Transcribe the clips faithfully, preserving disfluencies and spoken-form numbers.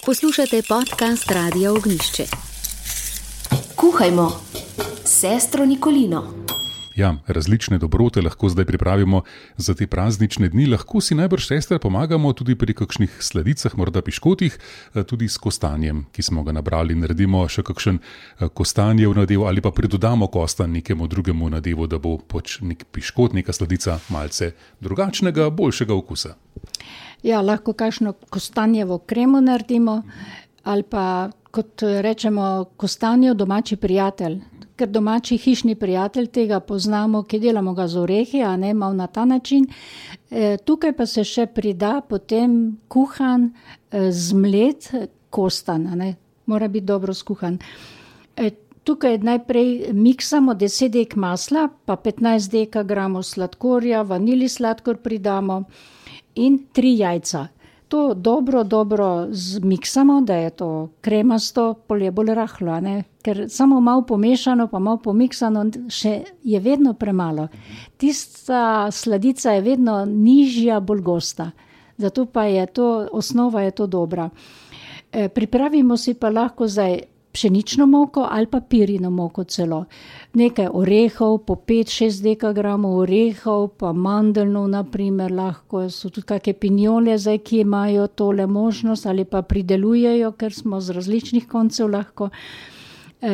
Poslušate podcast Radia Ognjišče. Kuhajmo s sestro Nikolino. Ja, različne dobrote lahko zdaj pripravimo za te praznične dni. Lahko si najbrž, sestra, pomagamo tudi pri kakšnih sladicah, morda piškotih, tudi s kostanjem, ki smo ga nabrali. Naredimo še kakšen kostanjev nadev ali pa pridodamo kostan nekemu drugemu nadevu, da bo pač nek piškot, neka sladica malce drugačnega, boljšega okusa. Ja, lahko kakšno kostanjevo kremo naredimo ali pa, kot rečemo, kostanjev domači prijatelj. Ker domači hišni prijatelj tega poznamo, ki delamo ga z orehi, a ne malo na ta način. E, tukaj pa se še prida potem kuhan, e, zmlet kostan, a ne? Mora biti dobro skuhan. E, tukaj najprej miksamo deset dek masla, pa petnajst dekagramov sladkorja, vanili sladkor pridamo in tri jajca. To dobro, dobro zmiksamo, da je to kremasto, pol je bolj rahlo, ne? Ker samo malo pomešano, pa malo pomiksano, še je vedno premalo. Tista sladica je vedno nižja, bolj gosta. Zato pa je to, osnova je to dobra. E, pripravimo si pa lahko zdaj pšenično moko ali pa pirino moko celo. Nekaj orehov, po pet šest dekagramov orehov, pa mandelnov naprimer, lahko so tudi kakšne pinjole, zdaj, ki imajo tole možnost ali pa pridelujejo, ker smo z različnih koncev lahko. E,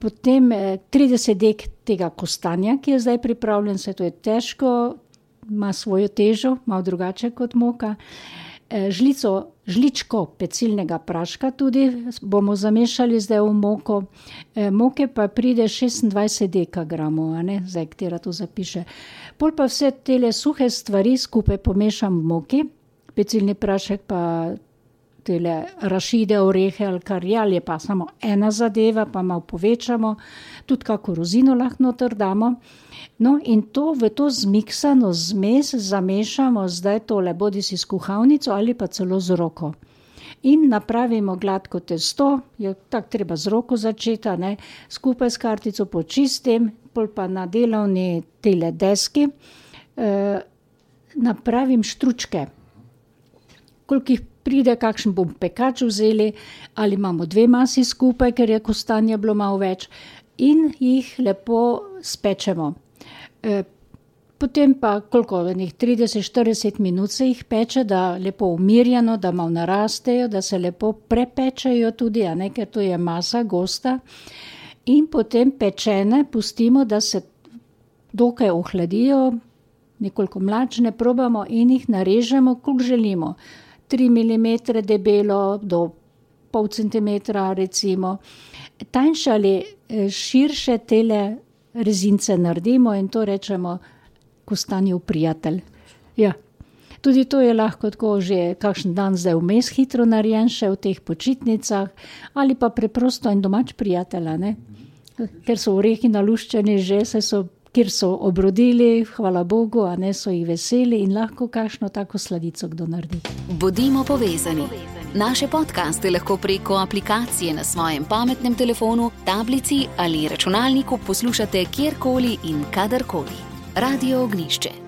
potem e, trideset dek tega kostanja, ki je zdaj pripravljen, se to je težko, ima svojo težo, malo drugače kot moka. E, žlico, žličko pecilnega praška tudi bomo zamešali zdaj v moko. E, moke pa pride šestindvajset dekagramov, a ne, zdaj, katera to zapiše. Pol pa vse tele suhe stvari skupaj pomešam v moki, pecilni prašek pa tele rašide, orehe ali kar je, ali je pa samo ena zadeva, pa malo povečamo, tudi kako rozino lahko noter damo. No in to v to zmiksano zmes zamešamo zdaj tole, bodi si s kuhalnico ali pa celo z roko. In napravimo gladko testo, je tako treba z roko začeti, ne, skupaj s kartico počistim, pol pa na delovni tele deski eh, napravim štručke. Koliko jih pride, kakšen bom pekač vzeli, ali imamo dve masi skupaj, ker je kostanja bilo malo več, in jih lepo spečemo. E, potem pa koliko, trideset štirideset minut se jih peče, da lepo umirjeno, da malo narastejo, da se lepo prepečejo tudi, a ne, ker to je masa gosta. In potem pečene pustimo, da se dokaj ohladijo, nekoliko mlačne probamo in jih narežemo, koliko želimo. tri milimetre debelo do pol centimetra recimo. Tanjše ali širše tele rezince naredimo in to rečemo kostanjev prijatelj. Ja. Tudi to je lahko tako že kakšen dan zdaj vmes hitro narejen še v teh počitnicah ali pa preprosto en domač prijatelj, ne? Ker so orehi naluščeni že, se so kjer so obrodili, hvala Bogu, a ne, so jih veseli in lahko kakšno tako sladico kdo naredi. Bodimo povezani. Naše podcaste lahko preko aplikacije na svojem pametnem telefonu, tablici ali računalniku poslušate kjerkoli in kadarkoli. Radio Ognjišče.